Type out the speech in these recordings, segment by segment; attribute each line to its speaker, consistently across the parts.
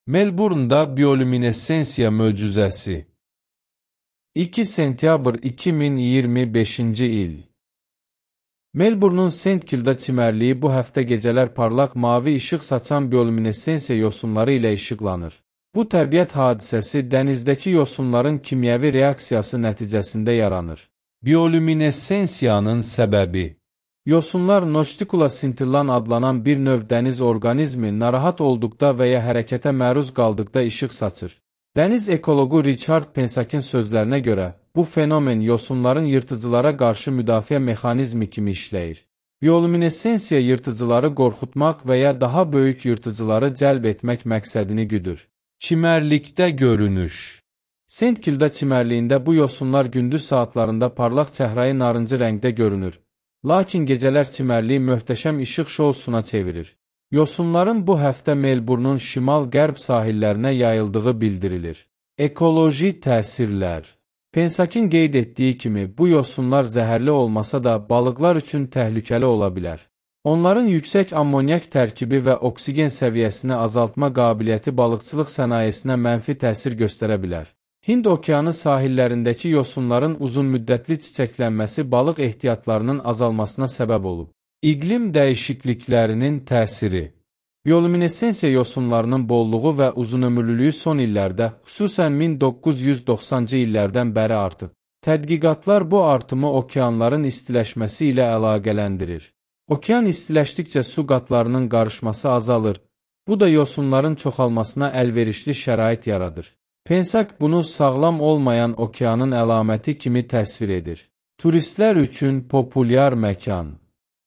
Speaker 1: Melbourne'da biyolüminesensiya möcüzəsi. 2 sentyabr 2025-ci il. Melbourne'un St. Kilda çimərliyi bu həftə gecələr parlaq mavi işıq saçan biyolüminesensiya yosunları ilə işıqlanır. Bu təbiət hadisəsi dənizdəki yosunların kimyəvi reaksiyası nəticəsində yaranır. Biyolüminesensiyanın səbəbi. Yosunlar Noçtikula scintillan adlanan bir növ dəniz orqanizmi narahat olduqda və ya hərəkətə məruz qaldıqda işıq saçır. Dəniz ekologu Richard Pensak'in sözlərinə görə, bu fenomen yosunların yırtıcılara qarşı müdafiə mexanizmi kimi işləyir. Biyolüminesensiya yırtıcıları qorxutmaq və ya daha böyük yırtıcıları cəlb etmək məqsədini güdür. Çimərlikdə görünüş. St. Kilda çimərliyində bu yosunlar gündüz saatlarında parlaq çəhrayı narıncı rəngdə görünür. Lakin gecələr çimərliyi möhtəşəm işıq şousuna çevirir. Yosunların bu həftə Melbourne'un şimal-qərb sahillərinə yayıldığı bildirilir. Ekoloji təsirlər. Pensak'in qeyd etdiyi kimi, bu yosunlar zəhərli olmasa da balıqlar üçün təhlükəli ola bilər. Onların yüksək ammonyak tərkibi və oksigen səviyyəsini azaltma qabiliyyəti balıqçılıq sənayesinə mənfi təsir göstərə bilər. Hind okeanı sahillərindəki yosunların uzunmüddətli çiçəklənməsi balıq ehtiyatlarının azalmasına səbəb olub. İqlim dəyişikliklərinin təsiri. Biyolüminesensiya yosunlarının bolluğu və uzunömürlülüyü son illərdə, xüsusən 1990-cı illərdən bəri artıb. Tədqiqatlar bu artımı okeanların istiləşməsi ilə əlaqələndirir. Okean istiləşdikcə su qatlarının qarışması azalır. Bu da yosunların çoxalmasına əlverişli şərait yaradır. Pensak bunu sağlam olmayan okeanın əlaməti kimi təsvir edir. Turistlər üçün populyar məkan.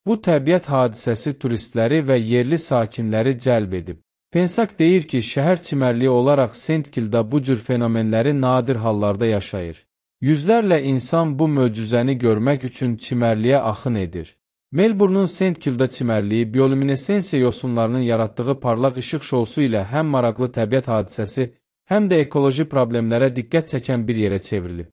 Speaker 1: Bu təbiət hadisəsi turistləri və yerli sakinləri cəlb edib. Pensak deyir ki, şəhər çimərliyi olaraq St. Kilda bu cür fenomenləri nadir hallarda yaşayır. Yüzlərlə insan bu möcüzəni görmək üçün çimərliyə axın edir. Melbourne'un St. Kilda çimərliyi biyolüminesensiya yosunlarının yaratdığı parlaq işıq şousu ilə həm maraqlı təbiət hadisəsi, həm də ekoloji problemlərə diqqət çəkən bir yerə çevrilib.